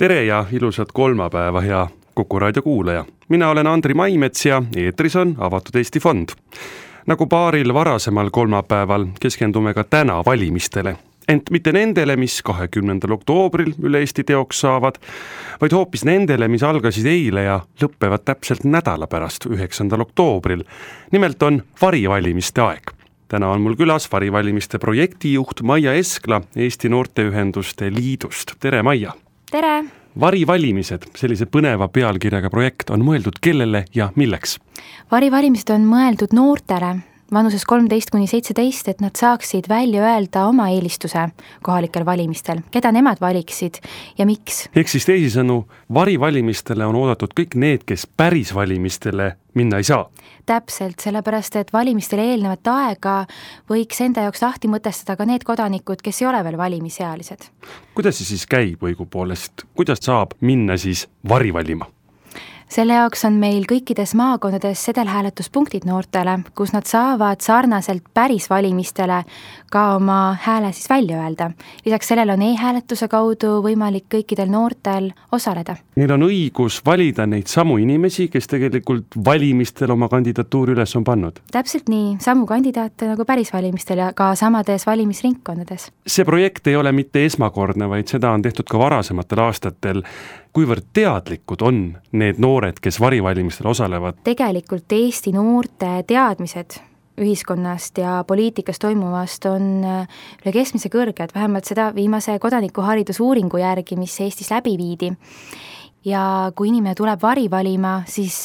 Tere ja ilusat kolmapäeva, hea Kuku raadio kuulaja. Mina olen Andri Maimets ja eetris on Avatud Eesti Fond. Nagu paaril varasemal kolmapäeval keskendume ka täna valimistele. Ent mitte nendele, mis 20. oktoobril üle Eesti teoks saavad, vaid hoopis nendele, mis algasid eile ja lõppevad täpselt nädala pärast 9. oktoobril. Nimelt on varivalimiste aeg. Täna on mul külas varivalimiste projektijuht Maia Eskla Eesti Noorteühenduste Liidust. Tere, Maia! Tere! Varivalimised, sellise põneva pealkirjaga projekt, on mõeldud kellele ja milleks? Varivalimised on mõeldud noortele vanuses 13–17, et nad saaksid välja öelda oma eelistuse kohalikel valimistel, keda nemad valiksid ja miks. Ehk siis teisisõnu, varivalimistele on oodatud kõik need, kes päris valimistele minna ei saa. Täpselt, sellepärast, et valimistele eelnevat aega võiks enda jaoks lahti mõtestada ka need kodanikud, kes ei ole veel valimisealised. Kuidas see siis käib õigupoolest? Kuidas saab minna siis varivalima? Selle jaoks on meil kõikides maakondades sedelhääletuspunktid noortele, kus nad saavad sarnaselt päris valimistele ka oma hääle siis välja öelda. Lisaks sellele on e-hääletuse kaudu võimalik kõikidel noortel osaleda. Neil on õigus valida neid samu inimesi, kes tegelikult valimistel oma kandidatuuri üles on pannud. Täpselt nii, samu kandidaate nagu päris valimistel ja ka samades valimisringkondades. See projekt ei ole mitte esmakordne, vaid seda on tehtud ka varasematel aastatel. Kuivõrd teadlikud on need noored, kes varivalimistel osalevad? Tegelikult Eesti noorte teadmised ühiskonnast ja poliitikas toimuvast on üle keskmise kõrged, vähemalt seda viimase kodanikuharidusuuringu järgi, mis Eestis läbi viidi. Ja kui inimene tuleb varivalima, siis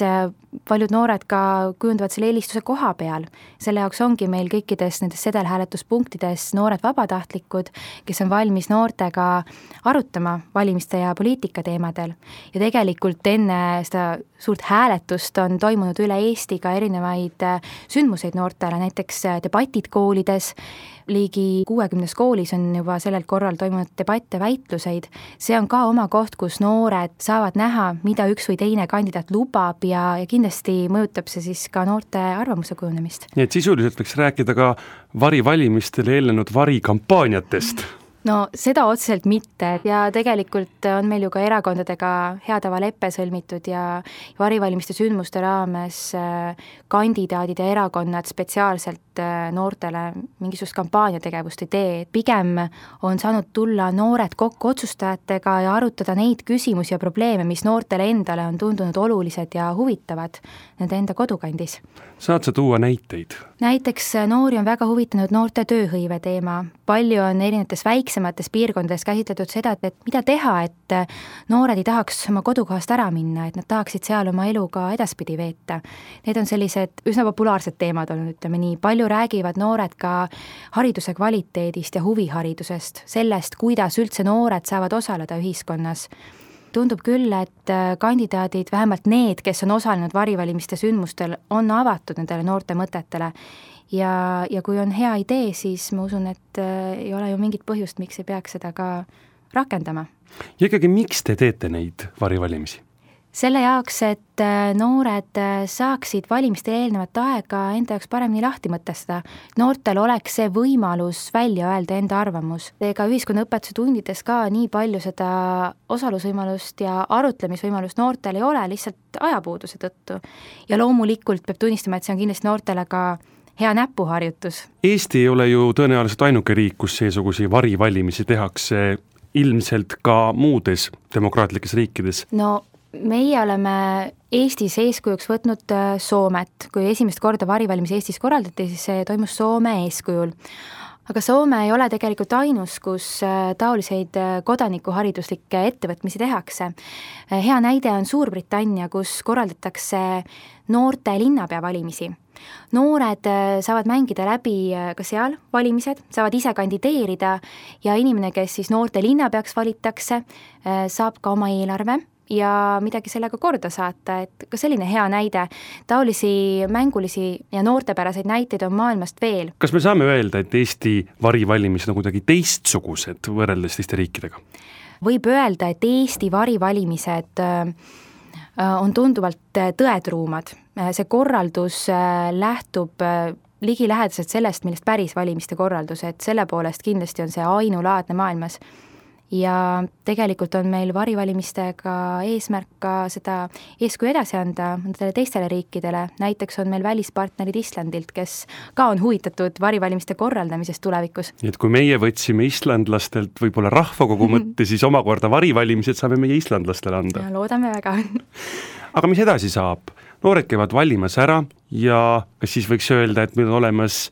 paljud noored ka kujundavad selle eelistuse koha peal. Selle jaoks ongi meil kõikides nendes sedelhääletuspunktides noored vabatahtlikud, kes on valmis noortega arutama valimiste ja poliitika teemadel. Ja tegelikult enne seda suurt hääletust on toimunud üle Eesti ka erinevaid sündmuseid noortele, näiteks debatid koolides. Ligi 60 koolis on juba sellel korral toimunud debatte väitluseid. See on ka oma koht, kus noored saavad näha, mida üks või teine kandidaat lubab ja kindlasti mõjutab see siis ka noorte arvamuse kujunemist. Nii et sisuliselt võiks rääkida ka varivalimistele eelnenud varikampaaniatest. No seda otseselt mitte ja tegelikult on meil ju ka erakondadega hea tava leppe sõlmitud ja varivalimiste sündmuste raames kandidaadid ja erakonnad spetsiaalselt noortele mingisugust kampaaniategevust ei tee. Pigem on saanud tulla noored kokku otsustajatega ja arutada neid küsimusi ja probleeme, mis noortele endale on tundunud olulised ja huvitavad nende enda kodukandis. Saad sa tuua näiteid? Näiteks noori on väga huvitanud noorte tööhõive teema. Palju on erinevates väiksemates piirkondades käsitletud seda, et mida teha, et noored ei tahaks oma kodukohast ära minna, et nad tahaksid seal oma elu ka edaspidi veeta. Need on sellised üsna populaarsed teemad olnud, ütleme nii. Palju räägivad noored ka hariduse kvaliteedist ja huviharidusest, sellest, kuidas üldse noored saavad osaleda ühiskonnas. Tundub küll, et kandidaadid, vähemalt need, kes on osalenud varivalimiste sündmustel, on avatud nendele noorte mõtetele. Ja kui on hea idee, siis ma usun, et ei ole ju mingit põhjust, miks ei peaks seda ka rakendama. Ja ikkagi, miks te teete neid varivalimisi? Selle jaoks, et noored saaksid valimiste eelnevat aega enda jaoks paremini lahti mõtestada. Noortel oleks see võimalus välja öelda enda arvamus. Ega ühiskonnaõpetuse tundides ka nii palju seda osalusvõimalust ja arutlemisvõimalust noortel ei ole lihtsalt ajapuuduse tõttu. Ja loomulikult peab tunnistama, et see on kindlasti noortele ka hea näpuharjutus. Eesti ei ole ju tõenäoliselt ainuke riik, kus seesugusi varivalimisi tehakse, ilmselt ka muudes demokraatlikes riikides. No meie oleme Eestis eeskujuks võtnud Soomet. Kui esimest korda varivalimisi Eestis korraldati, siis see toimus Soome eeskujul. Aga Soome ei ole tegelikult ainus, kus taoliseid kodanikuhariduslikke ettevõtmisi tehakse. Hea näide on Suurbritannia, kus korraldatakse noorte linnapea valimisi. Noored saavad mängida läbi ka seal valimised, saavad ise kandideerida ja inimene, kes siis noorte linnapeaks valitakse, saab ka oma eelarve ja midagi sellega korda saata, et ka selline hea näide. Taolisi mängulisi ja noortepäraseid näiteid on maailmast veel. Kas me saame öelda, et Eesti varivalimised on kuidagi teistsugused võrreldes teiste riikidega? Võib öelda, et Eesti varivalimised on tunduvalt tõetruumad. See korraldus lähtub ligilähedaselt sellest, millest päris valimiste korraldus, et selle poolest kindlasti on see ainulaadne maailmas. ja tegelikult on meil varivalimistega eesmärk ka seda eeskuju edasi anda nendele teistele riikidele, näiteks on meil välispartnerid Islandilt, kes ka on huvitatud varivalimiste korraldamisest tulevikus. Nii et kui meie võtsime islandlastelt võib-olla rahvakogu mõtte, siis omakorda varivalimised saame meie islandlastele anda. Loodame väga. Aga mis edasi saab? Noored käivad valimas ära ja kas siis võiks öelda, et meil on olemas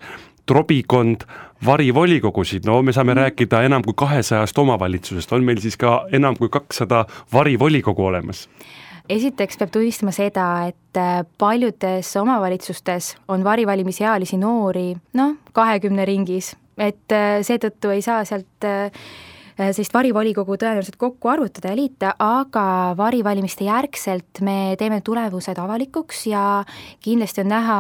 trobikond varivolikogusid, no me saame rääkida enam kui 200 omavalitsusest, on meil siis ka enam kui 200 varivolikogu olemas? Esiteks peab tunnistama seda, et paljudes omavalitsustes on varivalimisealisi noori 20 ringis, et seetõttu ei saa sealt sellist varivolikogu tõenäoliselt kokku arvutada ja liita, aga varivalimiste järgselt me teeme tulemused avalikuks ja kindlasti on näha,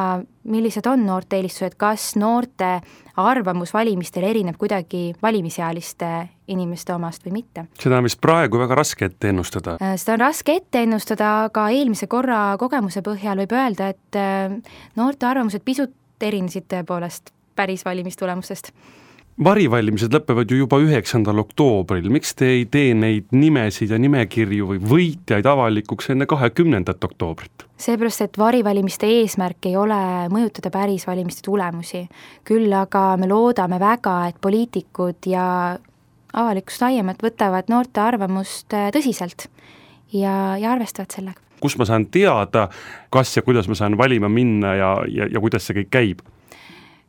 millised on noorte eelistused, kas noorte arvamus valimistel erineb kuidagi valimisealiste inimeste omast või mitte. Seda on vist praegu väga raske ette ennustada. Seda on raske ette ennustada, aga eelmise korra kogemuse põhjal võib öelda, et noorte arvamused pisut erinesid tõepoolest päris valimistulemustest. Varivalimised lõpevad ju juba 9. oktoobril, miks te ei tee neid nimesid ja nimekirju või võitjaid avalikuks enne 20. oktoobrit? Seepärast, et varivalimiste eesmärk ei ole mõjutada päris valimiste tulemusi. Küll aga me loodame väga, et poliitikud ja avalikkus laiemalt võtavad noorte arvamust tõsiselt ja arvestavad sellega. Kus ma saan teada, kas ja kuidas ma saan valima minna ja kuidas see kõik käib?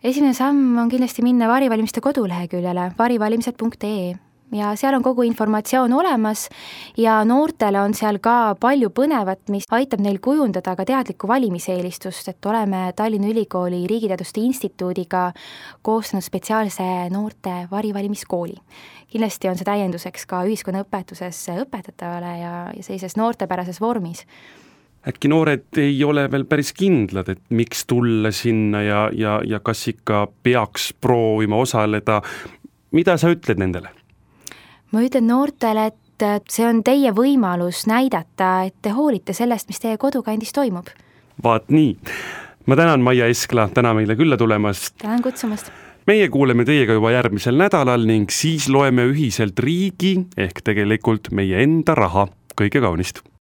Esimene samm on kindlasti minna varivalimiste koduleheküljele varivalimised.ee ja seal on kogu informatsioon olemas ja noortele on seal ka palju põnevat, mis aitab neil kujundada ka teadlikku valimiseelistust, et oleme Tallinna Ülikooli Riigiteaduste Instituudiga koostanud spetsiaalse noorte varivalimiskooli. Kindlasti on see täienduseks ka ühiskonnaõpetuses õpetatavale ja sellises noortepärases vormis. Äkki noored ei ole veel päris kindlad, et miks tulla sinna ja kas ikka peaks proovima osaleda. Mida sa ütled nendele? Ma ütlen noortele, et see on teie võimalus näidata, et te hoolite sellest, mis teie kodukandis toimub. Vaat nii. Ma tänan Maia Eskla, täna meile külla tulemast. Tänan kutsumast. Meie kuuleme teiega juba järgmisel nädalal ning siis loeme ühiselt riigi ehk tegelikult meie enda raha. Kõige kaunist!